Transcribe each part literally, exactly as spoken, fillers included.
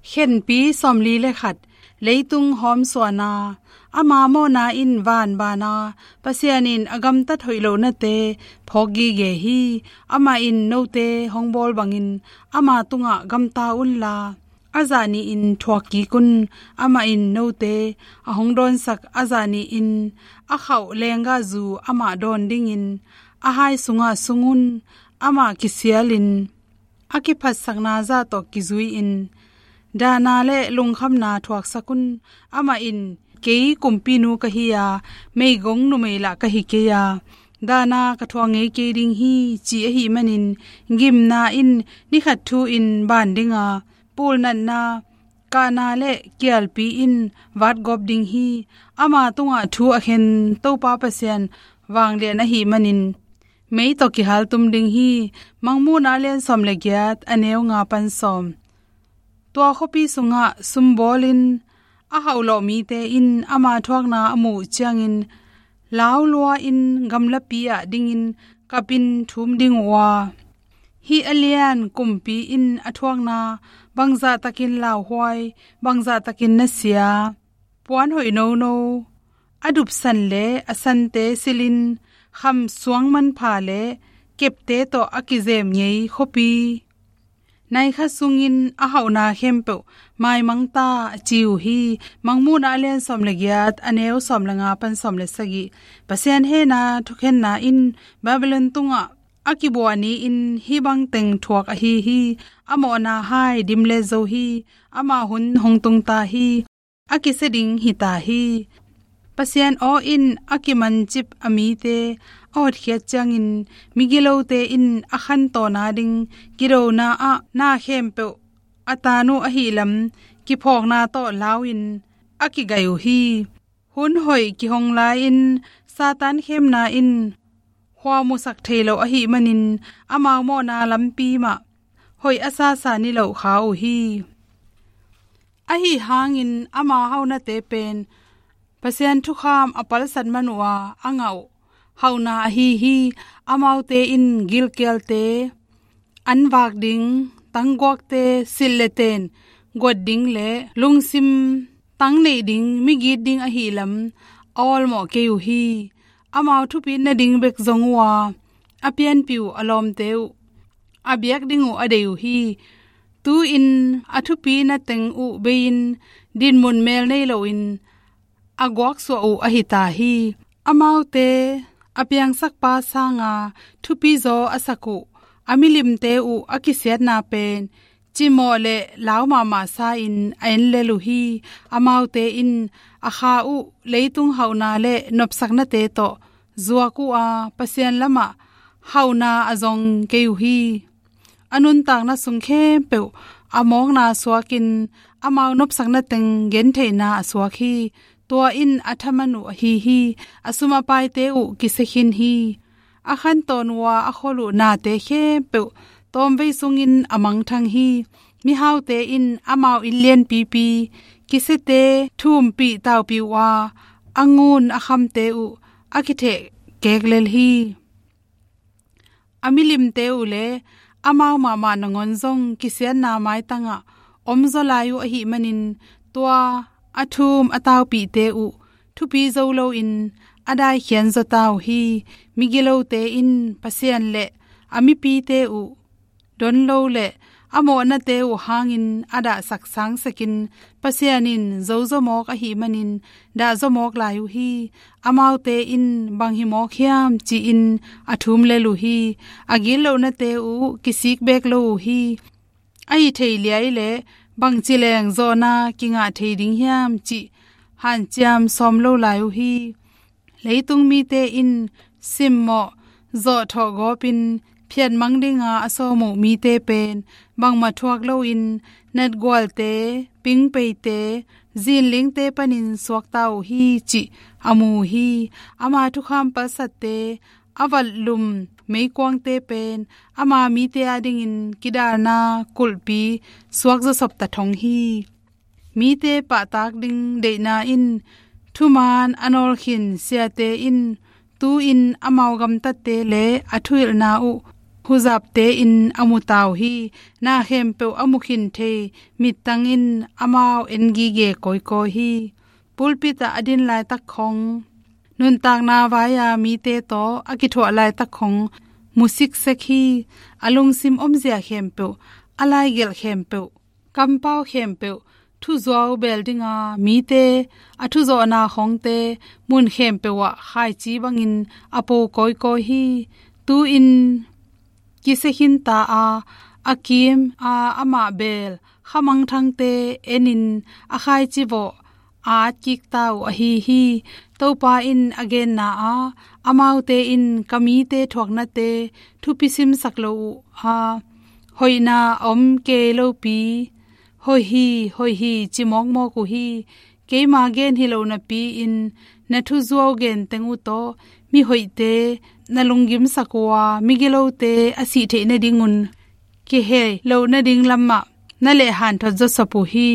Khenpi sawmli le khat. Leitung hawmsuahna. Ama mawhna in vanbana, Pasian in a gamtat hoih lohnate phawk gige hi. Amah in note hong bawl bangin ama tungah gamta unla, a zah nihin thuak kik un. Amah in note a hong dawnsak a zah nihin a khauh lenggahzu amah dawn dingin a hai sungah sung un. Amah kisialin a kiphatsakna zah tawh kizui-in, dahna le lungkhamna thuaksak un. Amah in, "Kei kumpinu ka hi a, meigong numei lah ka hi kei a, dahna ka thuak ngei kei ding hi," ci ahih manin, gimna in ni khat thu-in ban ding a, pulnatna, kahna le kialpi in vatgawp ding hi. Ama tungah thu a khen Topa Pasian vanglian ahih manin, mei tawh kihaltum ding hi. Mangmuhna a lian sawm le giat, a neu nga pan sawm. Tua khuapi sungah sumbawlin a hauhlawh mite in ama thuakna a muh uh ciangin, laulua-in gamlapi ah dingin kapin thum ding uh a, hih a lian kumpi in a thuakna bangzahtakin lauhuai, bangzahtakin nasia, puan hoih nono, a dupsan le a sante silhin, kham suang manpha le kepte tawh a kizem ngei khuapi, nai khat sungin a hauhna khempeuh maimang ta, a ci uh hi. Mangmuhna a lian sawm le giat, a neu sawm le nga pan sawm le sagih. Pasian hehna thukhenna in Babylon tungah a kibuah ni-in hih bang teng thuak ahi hi. A mawhna hai dimlet zo hi. Ama hun hong tung ta hi. A kisia ding hi ta hi. Pasian aw in a kimancip a mite a hotkhiat ciangin, migilote in a khantawn a ding kidona ah na khempeuh a tan uh ahih lam kiphawkna tawh lau-in a kigaih uh hi. Hun hoih kihong lai-in Satan khemna in khua musak thei lo ahih manin, amau mawhna lampi mah hoih a sasa niloh kha uh hi. Ahi hangin ama hauhnate pen Pasian thukham a palsat man uh a, a ngah uh hauhna ahi hi. Amaute in gilkialte an vak ding, tangguakte silh le ten guat ding le lungsim tang neih ding, migit ding ahih lam a awlmawh kei uh hi. Amau thupit nading bek zong uh a, a pianpih uh a lawmte uh a biak ding uh a deih uh hi. Tu-in a thupi na teng uh bei-in dinmun mel nei loin a guaksuah uh ahi ta hi. Amaute a piangsakpa sanga thupizaw a sak uh a milimte uh a kisiatna pen cimawh le lau mahmah sa-in a en lel uh hi. Amaute in a kha uh leitung hauhna le nopsaknate tawh zuak uh a, Pasian lamah hauhna a zong kei uh hi. A nuntakna sung khempeuh a mawkna suakin amau nopsakna teng gentheihna a suak hi. Tua in a thaman uh ahi hi. A sum a paite uh kisia khin hi. A khantawn uh a, a khol uh nate khempeuh tawmvei sungin a mangthang hi. Mihaute in amau inn lianpipi kisiate thumpih taupih uh a, a ngun a khamte uh a kitheh kek lel hi. A milimte uh le amau mahmah nangawn zong kisiatna maitangah omzaw lai uh ahih manin, tua a thum a taupihte uh thupi zo loin a daikhian zaw ta uh hi. Migilote in Pasian le a mipite uh don lo le a mawhnate uh hangin a dahsak sangsakin, Pasian in zozaw mawk ahih manin dahzaw mawk lai uh hi. Amaute in bang hi mawk hiam ci-in a thum lel uh hi. A gitlohnate uh kisik beek lo uh hi. Ahi thei liai le bangci leng zawhna kingah thei ding hiam cih hanciam sawm lo lai uh hi. Leitung mite in simmawh zawhthawh gawpin phiatmang dinga a sawm uh mite pen bangmah thuak loin natgualte, pingpeite, zinlingte panin suakta uh hi cih a mu uh hi. Ama thukham palsatte, a vatlum meikuangte pen ama mite adingin kidalna kulhpi suak zawsop ta thong hi. Mite pahtak ding deihna in thuman a nawlkhin siate in tu-in amau gamtatte le a thuhilhna uh huzapte in a mu ta uh hi. Na khempeuh a mu khin thei mittang in amau en gige kawikawi hi. Pulpit ah a din laitak khong, nuntakna vai-a mite tawh a kithuah laitak khong mu siksek hi. A lungsim omzia khempeuh, a laigelh khempeuh, kampau khempeuh, thuzuau beel dinga mite a thuzawhna khongte mun khempeuh ah khaici bangin a po kawikawi hi. Tu-in kisia khin ta a, a kim a, amah beel khamangthangte enin a khaici vawh a at kik ta uh ahi hi. Topa in a genna ah, amaute in ka mite thuaknate thupi simsak lo uh a, hoihna a om kei lopi, hoih hi, hoih hi, ci mawkmawk uh hi. Keima gen hi lo napi-in na thuzuau gen teng uh tawh mihoihte na lunggimsak uh a, migilote a sih theih nadingun kihei loh nading lamah na lehhanthot zawsop uh hi.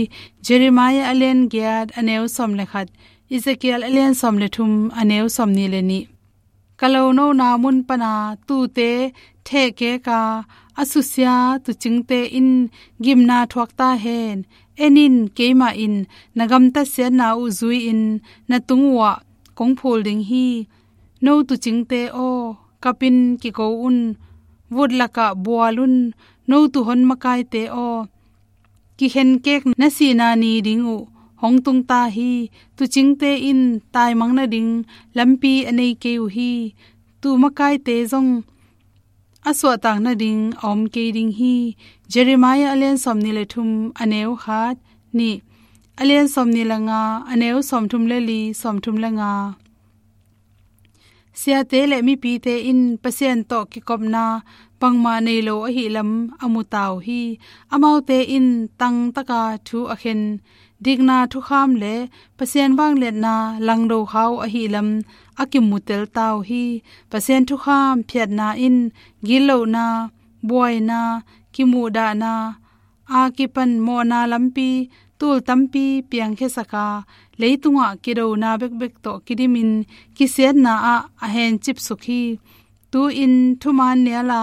Jeremiah a lian giat a neu sawm le khat, Ezekiel a lian sawm le thum a neu sawmnih le nih. Ka lonona mun pana tuute thehkeka a susia tuucingte in gimna thuak ta hen. En in, keimah in na gamtat siatna uh zui-in na tung uhah kong phul ding hi. No tuucingte aw, kapin kiko un. Vut lakah bual un. No tuuhon makaite aw, kikhenkek na sihna ni ding uh hong tung ta hi. Tuucingte in taimang nading lampi a nei kei uh hi. Tuu makaite zong a suahtak nading a om kei ding hi. Jeremiah a lian sawmnih le thum a neu khat, nih, a lian sawmnih le nga a neu sawmthum le li, sawmthum le nga. Siate le mipite in Pasian tawh kikopna bangmah nei lo ahi lam a mu ta uh hi. Amaute in tangtaka thu a khen, dikna thukham le Pasian vangliatna langdo kha uh ahi lam a kimutel ta uh hi. Pasian thukham phiatna in gitlohna, buaina, kimuhdahna, a kipan mawhna lampi tul tampi piangkhiasak a, leitungah kidona bekbek tawh kidimin kisiatna ah a hencipsuk hi. Tu-in thuman niala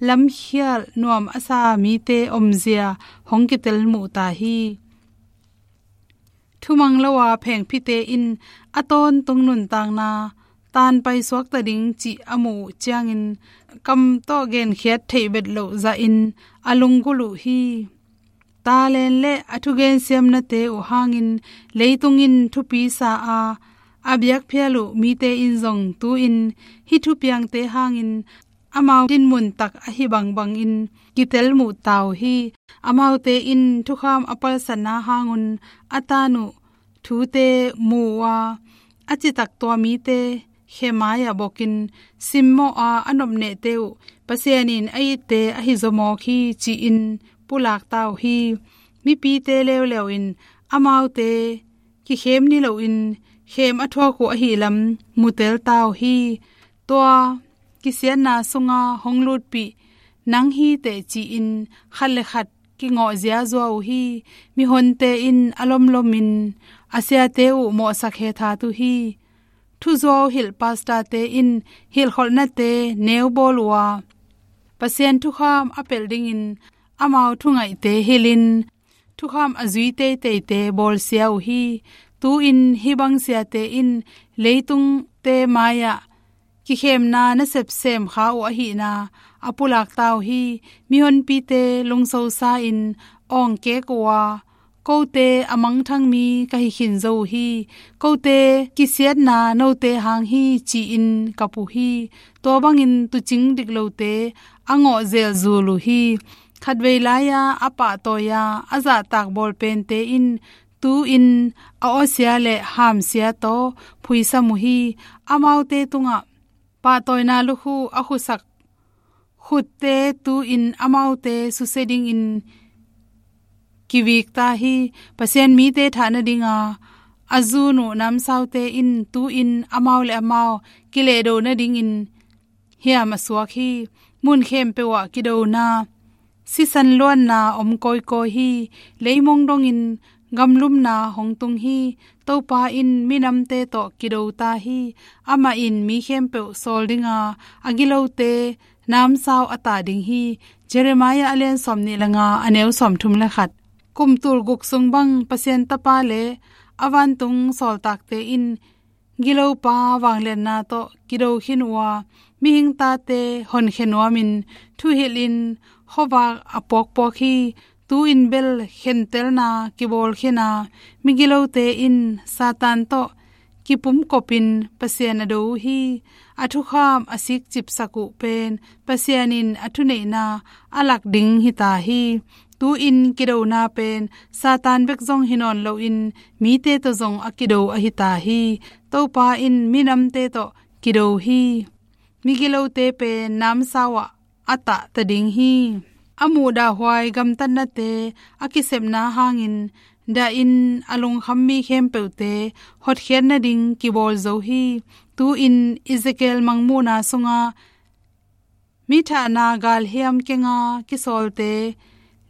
lamkhial nuam a sa mite omzia hong kitel muh ta hi. Thumang lo a phengphite in a tawntung nuntakna tanpai suakta ding cih a muh uh ciangin kam tawh genkhiat theih bet loh zahin a lunggulh uh hi. Talent le a thugen siamnate uh hangin leitung in thupi sa a, a biakphial uh mite in zong tu-in hih thupiangte hangin amau dinmun tak ahi bangbangin kitel muh ta uh hi. Amaute in thukham a palsatna hangun a tan uh thute mu uh a, a citak tua mite khe mai-ah bokin simmawh a, a nopnehte uh Pasian in a itte ahi zaw mawk hi ci-in pulak ta uh hi. Mipite leuleu in amaute kikhem ni loin khem a thuak uh ahi lam mutel ta uh hi. Tua kisiatna sunga hong lutpih nang hi teh ci-in khat le khat kingawh ziazua uh hi. Mihonte in a lomlomin a siate uh mawhsak hethat uh hi. Thuzuau hilh pastorte in hilhkholhnate neu bawl uh a, Pasian thukham a pelh dingin amau thungaihte hilhin thukham a zui teiteite bawlsia uh hi. Tu-in hih bang siate in leitungte mai-ah kikhemna nasep sem kha uh ahihna a pulak ta uh hi. Mihonpite lungsosa-in awngkek uh a, kote a mangthang mi ka hi khin zo uh hi. Kote kisiatna note hang hi ci-in kap uh hi. Tua bangin tuucing diklote a ngawh zelzul uh hi. Khatvei lai-a a pahtawi-a a zahtak bawlpente in tu-in a awsia le hamsia tawh phuisam uh hi. Amaute tungah pahtawina lukhu a khusak khutte tu-in amaute susia dingin kivik ta hi. Pasian mite thah nadinga a zun uh namsaute in tu-in amau le amau kilehdo nadingin hiam a suak hi. Mun khempeuh ah kidona, sisan luanna om kawikawi hi. Leimong dongin gamlumna hong tung hi. Topa in minamte tawh kido ta hi. Amah in mi khempeuh sawl dinga a gilote namsau a tah ding hi. Jeremiah a lian sawmnih le nga, a neu sawmthum le khat. Kum tul guk sung bang Pasian Tapa le a vantung sawltakte in gilopa vangliatna tawh kido khin uh a, mihing tate honkhe nuamin thuhilhin khuavak a puakpuak hi. Tu-in bel khentelna kibawl khin a, migilote in Satan tawh kipumkopin Pasian a do uh hi. A thukham a sikcipsak uh pen Pasian in a thuneihna a lak ding hi ta hi. Tu-in kidona pen Satan bek zong hi nawn loin mite tawh zong a kido ahi ta hi. Topa in minamte tawh kido hi. Migilote pen namsau ah a tah ta ding hi. A muhdahhuai gamtatnate a kisepna hangin dahin a lungkham mi khempeuhte hotkhiat nading kibawl zo hi. Tu-in Ezekiel mangmuhna sunga mi thahna galhiam kenga kisawlte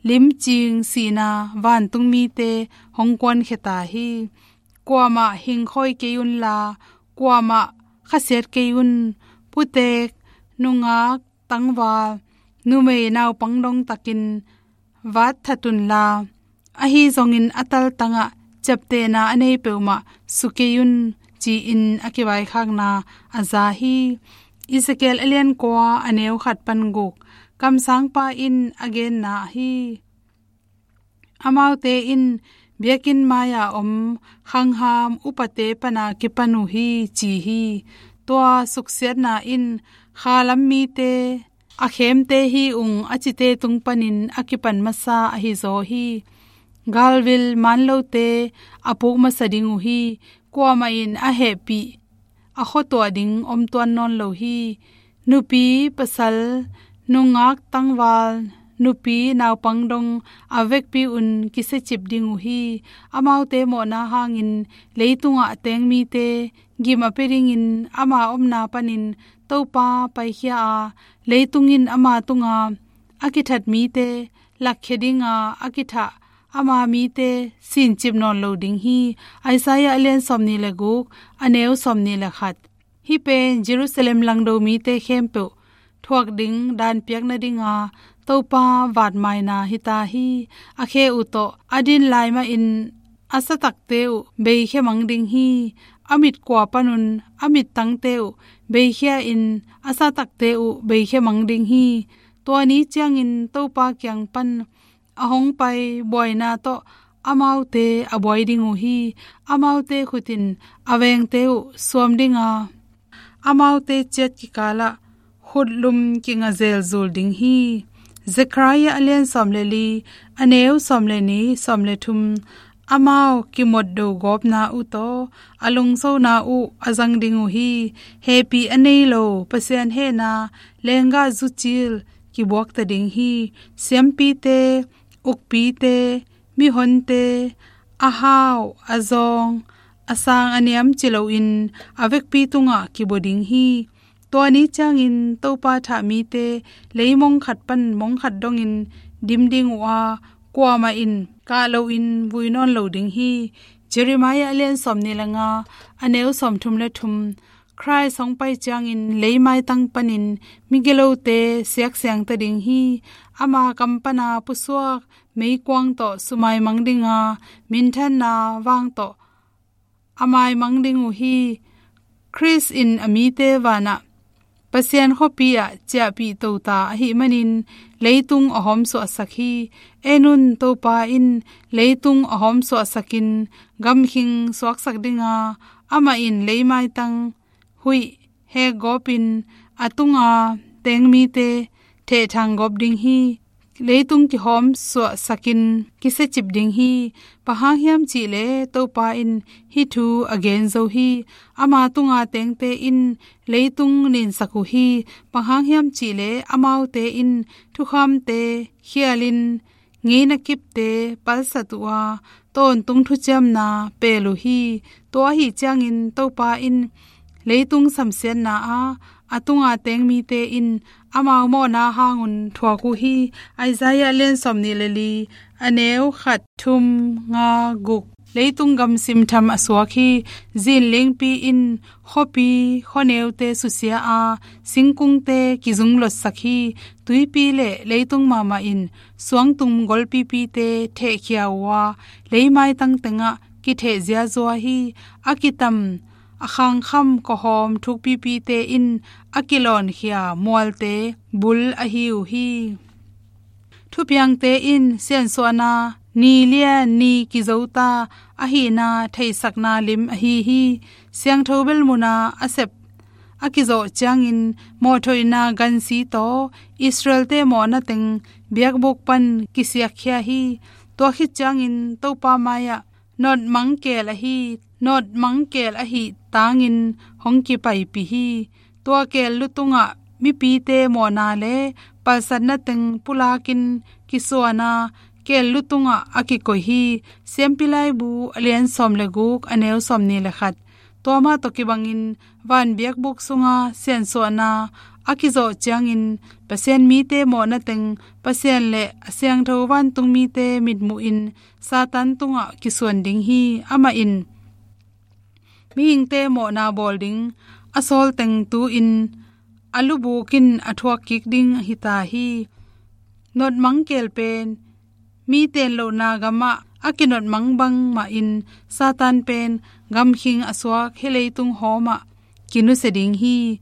limcing sihna vantung mite hong kuankhia ta hi. Kuamah hingkhawi kei unla, kuamah khasiat kei un. Putek, nungak, tangval, numei, naupang dong takin vat that unla, ahi zongin a taltangah ciaptehna a nei peuhmah su kei un, ci-in a kivaikhakna a za hi. Ezekiel a lian kua, a neu khat pan guk. Kamsangpa in a genna hi. Amaute in biakinn mai-a om khangham upate pana kipan uh hi, ci hi. Tua suksiatna in khalam mite, a khemte hi ung a cite tung panin a kipan masa ahi zaw hi. Galvil manlote a puk masa ding uh hi. Kuamah in a hehpih a khuatuah ding om tuan nawn lo hi. Nupi, pasal, nungak, tangval, nupi, naupang dong a vekpi un kisiacip ding uh hi. Amaute mawhna hangin leitungah a teng mite gim a pia dingin ama omna panin Topa paikhia a, leitung in ama tunga a kithat mite lakkhia dinga a kithah ama mite sincip nawn lo ding hi. Isaiah a lian sawmnih le guk, a neu sawmnih le khat. Hih pen Jerusalem langdo mite khempeuh thuak ding danpiak nadinga Topa vatmaina hi ta hi. A khe uh tawh a din lai mahin a satakte uh beikhia mang ding hi. A mit kua panun a mittangte uh beikhia in a satakte uh beikhia mang ding hi. Tua ni ciangin Topa kiang pan a hong pai buaina tawh amaute a buai ding uh hi. Amaute khut in a vengte uh suam dinga, amaute ciat kikalah khutlum kinga zelzul ding hi. Zekhariah a lian sawm le li, a neu sawm le nih, sawm le thum. Amau kimotdo gawpna uh tawh a lungsona uh a zang ding uh hi. Hehpih a nei lo Pasian hehna lenggah zucil kibuakta ding hi. Siampite, ukpite, mihonte, a hau, a zawng, a sang a niam ci loin a vekpi tungah kibua ding hi. Tua ni ciangin Topa thah mite leimong khat pan mong khat dongin dim ding uh a, kuamah in kah loin vui nawn lo ding hi. Jeremiah a lian sawmnih le nga, a neu sawmthum le thum. Khrih hong pai ciangin leimaitang panin migilote siaksiangta ding hi. Ama kam pana pusuak meikuang tawh sumaimang dinga, minthanna vang tawh a maimang ding uh hi. Khrih in a mite vanah Pasian khuapi ah ciahpih tota ahih manin leitung a hawmsuahsak hi. En un, Topa in leitung a hawmsuahsakin gamkhing suaksak dinga, amah in leimaitang huih hekgawpin a tunga teng mite thehthang gawp ding hi. Leitung kihawmsuahsakin kisiacip ding hi. Bang hang hiam cihleh Topa in hih thu a gen zo hi. Ama tunga tengte in leitung ninsak uh hi. Bang hang hiam cihleh amaute in thukhamte khialin ngeina kipte palsat uh a, tawntung thuciamna pel uh hi. Tua ahih ciangin Topa in leitung samsiatna ah a tunga teng mite in amau mawhna hangun thuak uh hi. Isaiah lian sawmnih le li, a neu khat, thum, nga, guk. Leitung gamsim tham a suak hi. Zinlingpi in khuapi khuaneute susia a, singkungte kizunglotsak hi. Tuipi le leitung mahmah in suangtum golpipite thehkhia uh a, leimaitang tengah kitheh ziazua hi. A kitam a khangkham kawhawm thukpipite in a kilawnkhia mualte bul ahi uh hi. Thupiangte in siansuahna ni lian ni kizota ahihna theihsakna lim ahi hi. Siangtho belmuna a sep a kizawh ciangin mawhthoihna gansi tawh Israelte mawhna teng biakbuk pan kisiakkhia hi. Tua khit ciangin Topa mai-ah nawtmang keel ahi, nawtmang keel ahi tangin hong kipaipih hi. Tua keel lutungah mipite mawhna le palsatna teng pulakin kisuana keel lutungah a kikoih hi. Siampi Laibu a lian sawm le guk, a neu sawmnih le khat. Tua mah tawh kibangin van biakbuk sunga siansuahna a kizawh ciangin Pasian mite mawhna teng Pasian le a siangtho vantung mite mitmuhin Satan tungah kisuan ding hi. Amah in mihingte mawhna bawl ding a sawl teng tu-in a lubuk in a thuak kik ding ahi ta hi. Nawtmang keel pen mi tenlohna gamah a kinawtmang bangmahin Satan pen gamkhing a suak hih leitung hawmah kinusia ding hi.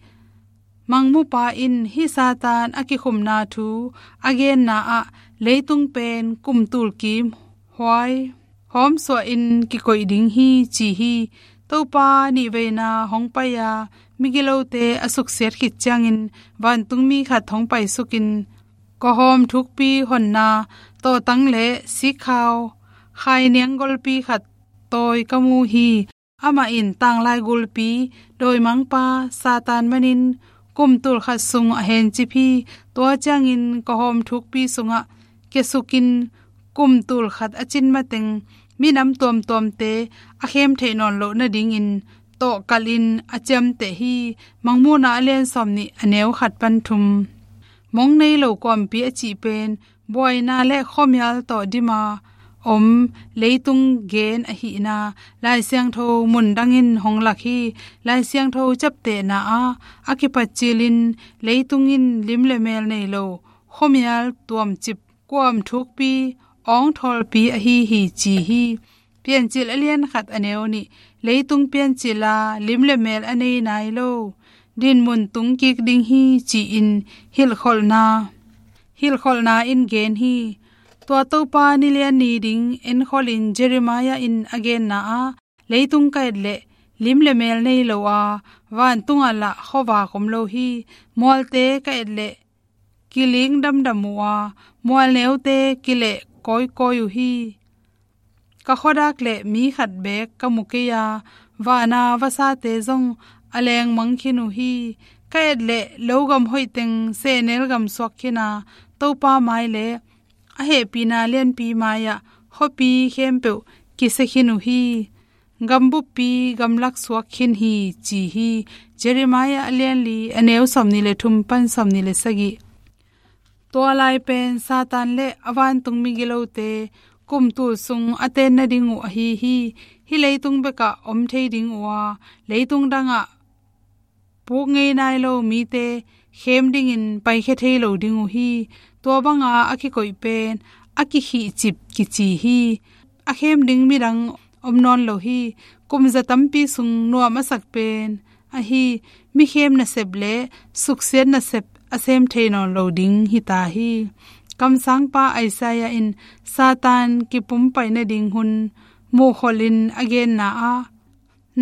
Mangmupa in hih Satan a kikhumna thu a genna ah leitung pen kum tulkim huai hawmsuahin kikoih ding hi ci hi. Topa nihveina hong pai-a migilote a suksiat khit ciangin vantungmi khat hong paisukin kawhawm thukpi honna tawhtang le sikkhau khainiang golpi khat tawi ka mu hi. Amah in tanglai gulpi dawimangpa Satan manin kum tulkhat sung a hencip hi. Tua ciangin kawhawm thukpi sungah kiasukin kum tulkhat a cin mateng minam tuamtuamte a khem theih nawn loh nadingin tawhkalhin a ciamteh hi. Mangmuhna a lian sawmnih, a neu khat pan thum. Mong nei lo kuampi a cih pen buaina le khuamial tawh dima om leitung gen ahihna Lai Siangtho mundangin hong lak hi. Lai Siangtho ciaptehna ah a kipatcilin leitung in lim le mel nei lo khuamial tuamcip kuam thukpi awngthawlpi ahi hi ci hi. Piancil a lian khat, a neu nih. Leitung piancil a lim le mel a nei nai lo dinmun tung kik ding hi ci-in hilhkholhna hilhkholhna in gen hi. Tua Topa nilian ni ding enkholhin Jeremiah in a genna ah leitung ka et leh lim le mel nei lo a, vantungah lah khuavak om lo hi. Mualte ka et leh kiling damdam uh a, mualneute kileh kawikawi uh hi. Ka khuadak le mi khat beek ka mu kei a, vana vasate zong a lengmang khin uh hi. Ka et le logam hoihteng sehnel gam suak khin a, Topa mai le a hehpihna lianpi mai-ah khuapi khempeuh kisia khin uh hi. Gambuppi gamlak suak khin hi ci hi. Jeremiah a lianli, a neu sawmnih le thum pan sawmnih le sagih. Tua lai pen Satan le a vantung migilote kum tul sung a ten nading uh ahi hi. Hih leitung bekah om thei ding uh a, leitung dangah puk ngei nai lo mite khem dingin paikhia thei lo ding uh hi. Tua banga a kikoih pen a kikhihcip kici hi. A khem ding midang om nawn lo hi. Kum za tampi sung nuam a sak pen ahi mi khem nasep le suksiat nasep a sem thei nawn lo ding hi ta hi. Kamsangpa Isaiah in Satan kipumpai nading hun muhkholhin a genna ah,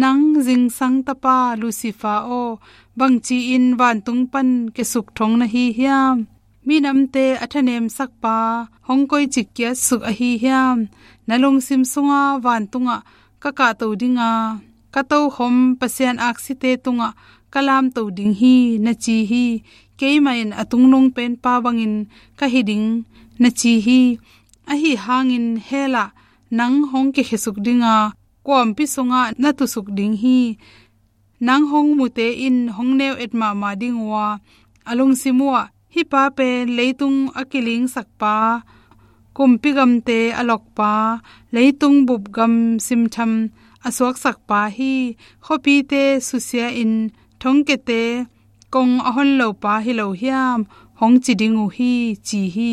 "Nang zingsang tapa Lucifer aw, bangci-in vantung pan kiasuk thong na hi hiam? Minamte a thanemsakpa hong koici kiatsuk ahi hiam? Na lungsim sunga vantungah ka kahto dinga, ka tokhom Pasian aksite tungah ka lamto ding hi," na ci hi. "Keimah in a tungnung penpa bangin ka hi ding," na ci hi. Ahi hangin hell ah nang hong kikhiasuk dinga, kuampi sungah na tusuk ding hi. Nang hong mute in hong neu et mahmah ding uh a, a lungsim uhah, "Hih pa pen leitung a kilingsakpa, kumpi gamte a lokpa, leitung bup gam simtham a suaksakpa hi. Khuapite susia in thongkiate kong a hon lopa hi lo hiam, hong ci ding uh hi, ci hi.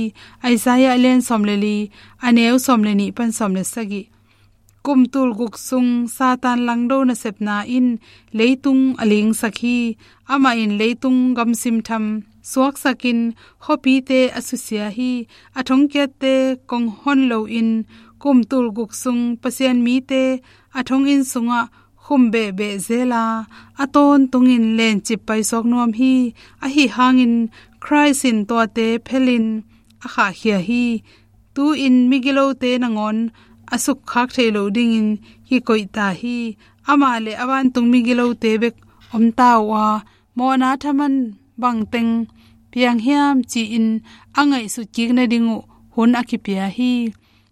Isaiah a lian sawm le li, a neu sawm le nih pan sawm le sagih. Kum tul guk sung Satan langdo nasepna in leitung a lingsak hi. Amah in leitung gamsim tham suaksakin khuapite a susia hi. A thongkiatte kong hon loin kum tul guk sung Pasian mite a thonginn sungah khum behbeh zela a tawntungin lencip paisuak nuam hi. Ahi hangin Khrist in tuate phelin a khahkhia hi. Tu-in migilote nangawn a sukkhak theih loh dingin kikoih ta hi. Amah le a vantung migilote bek om ta uh a, mawhna thaman bangteng piang hiam ci-in a ngaihsut kik nading uh hun a kipia hi.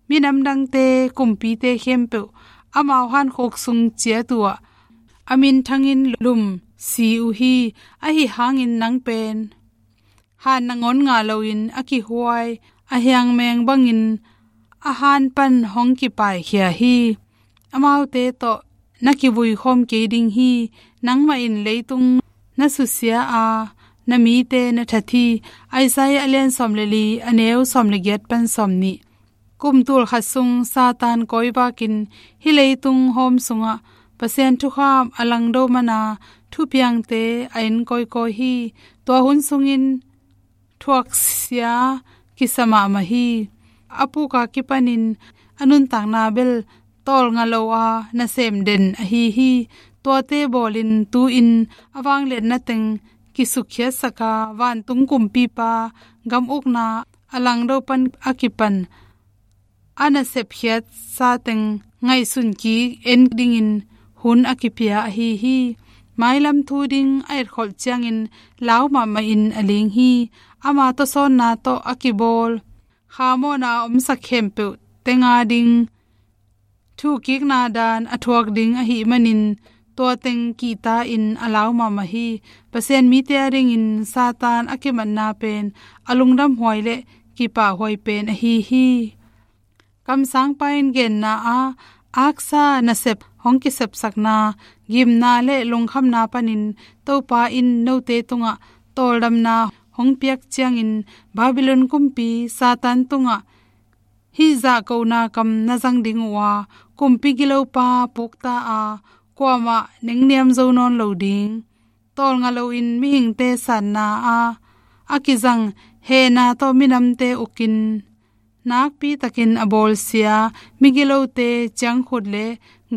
Minam dangte kumpite khempeuh amau hankhuk sung ciat uh ah a minthangin lum si uh hi. Ahi hangin nang pen han nangawn ngah loin a kihuai a hiangmeng bangin a han pan hong kipaikhia hi. Amaute tawh na kivui khawm kei ding hi. Nangmah in leitung na susia a, na mite na that hi. Isaiah a lian sawm le li, a neu sawm le giat pan sawm nih. Kum tul khat sung Satan kawivakin hih leitung hawm sungah Pasian thukham a langdo mana thupiangte a en kawikawi hi. Tua hun sungin thuaksia kisa mahmah hi. A puka kipanin a nuntakna bel tawlnga lo a nasem den ahi hi. Tuate bawlin tu-in a vangliatna teng kisukkhiatsak a, vantung kumpipa gam ukna a langdo pan a kipan a nasepkhiatsa teng ngaihsun kik en dingin hun a kipia ahi hi. Mailam thu ding a etkholh ciangin lau mahmahin a ling hi. Ama tawsawnna tawh a kibawl khamawhna a omsak khempeuh tenga ding thukikna dan a thuak ding ahih manin tua teng kihta-in a lau mahmah hi. Pasian mite a dingin Satan a kimatna pen a lungdamhuai le kipahhuai pen ahi hi. Kamsangpa in genna ah, aksa nasep hong kisepsakna, gimna le lungkhamna panin Topa in note tungah tawldamna hong piak ciangin Babylon kumpi Satan tungah hih zahkona kam na zang ding uh a, kumpi gilopa pukta a, kuamah nengniam zo nawn lo ding. Tawlnga loin mihingte sanna a, a kizang hehna tawh minamte ukin nakpitakin a bawlsia migilote ciangkhut le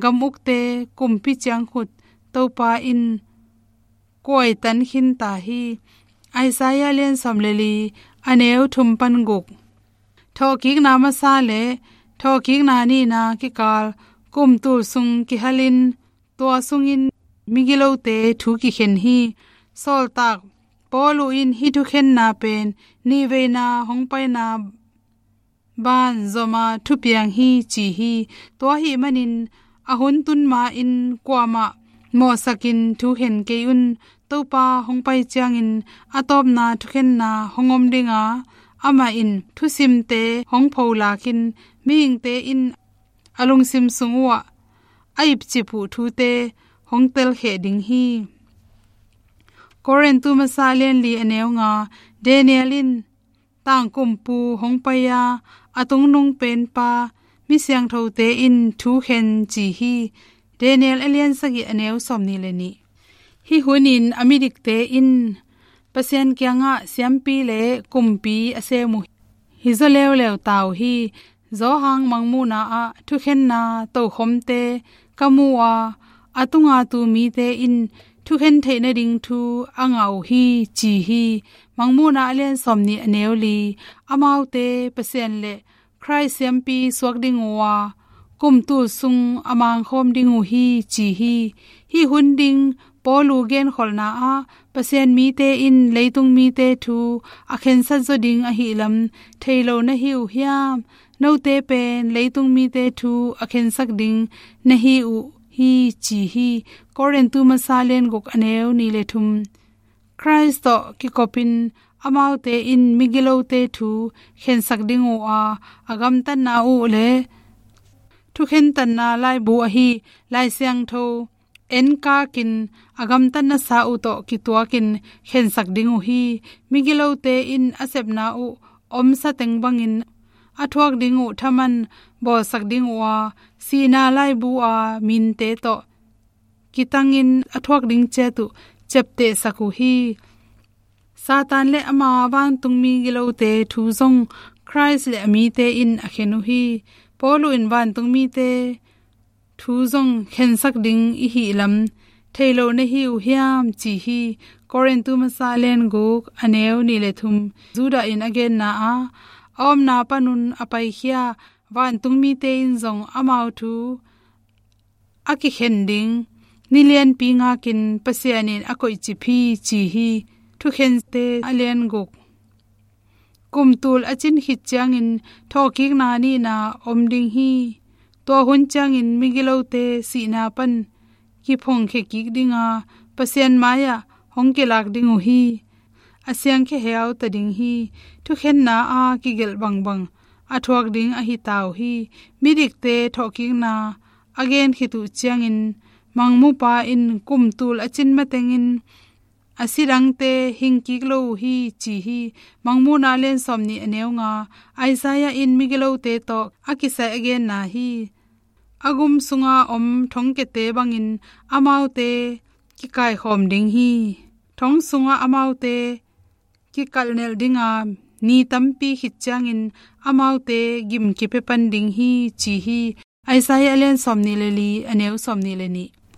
gam ukte kumpi ciangkhut Topa in kuaitan khinta hi. Isaiah lian sawm le li, a neu thum pan guk. Thawhkikna masa le thawhkikna nihna kikal kum tul sung kihalin tua sungin migilote thu kikhen hi. Sawltak Paulu in hih thukhenna pen nihveina hong paina ban zoma thupiang hi ci hi. Tua ahih manin a hun tun ma-in kuamah mawhsakin thukhen kei un. Topa hong pai ciangin a tawpna thukhenna hong om dinga, amah in thusimte hong pholakin mihingte in a lungsim sung uhah a ipcip uh thute hong telkheh ding hi. Korintu masa lian li a neu nga. Daniel in tangkumpu hong pai a, a tungnung penpa mi siangthote in thukhen ci hi. Daniel a lian sagih a neu sawm nih le nih. Hih hunin a midikte in Pasian kiangah siampi le kumpi a sem uh hi zaw leuleu ta uh hi. Johan mangmuhna ah thukhenna tokhomte ka mu a, a tunga tu mite in thukhen theih nading thu a ngah uh hi ci hi. Mangmuhna a lian sawm nih a neu li. Amaute Pasian le Khrist siampi suak ding uh a, kum tul sung a mangkhawm ding uh hi ci hi. Hih hun ding Paulu genkholhna ah Pasian mite in leitung mite thu a khensat zaw ding ahihlam thei lo na hi uh hiam? Note pen leitung mite thu a khensak ding na hi uh hi ci hi. Korintu masa lian guk a neu nih le thum. Khrist tawh kikopin amaute in migilote thu khensak ding uh a, a gamtatna uh le thukhentatna laibu ahi Lai Siangtho enkakin a gamtatnasa uh tawh kituakin khensak ding uh hi. Migilote in a sepna uh omsa teng bangin a thuak ding uh thaman bawlsak ding uh a, sihna laibu a minte tawh kitangin a thuak ding ciat uh ciaptehsak uh hi. Satan le ama vantungmi gilote thu zong Christ le a mite in a khen uh hi. Paul in vantungmite thu zong khensak ding i hih lam thei lo na hi uh hiam ci hi. Korintu masa lian guk a neu nih le thum, Judah in a genna a, a omna panun a paikhia vantungmite in zong amau thu a kikhen ding ni lianpi ngakin Pasian in a koihcip hi ci hi. Thukhente a lian guk. Kum tul a cin khit ciangin thawhkikna nihna om ding hi. Tua hun ciangin migilote sihna pan kiphongkhia kik dinga Pasian mai-ah hong kilak ding uh hi. A siangkhia heauta ding hi. Thukhenna a kigelh bangbang a thuak ding ahi ta uh hi. Midikte thawhkikna a gen khit uh ciangin mangmupa in kum tul a cin matengin a si dangte hing kik lo uh hi ci hi. Mangmuhna lian sawmnih a neu nga. Isaiah in migilote tawh a kisai a genna hi. A gum sunga om thongkiate bangin amaute kikaikhawm ding hi. Thong sunga amaute kikalhnelh dinga ni tampi khit ciangin amaute gim kipia pan ding hi ci hi. Isaiah a lian sawmnih le li a neu sawmnih le nih.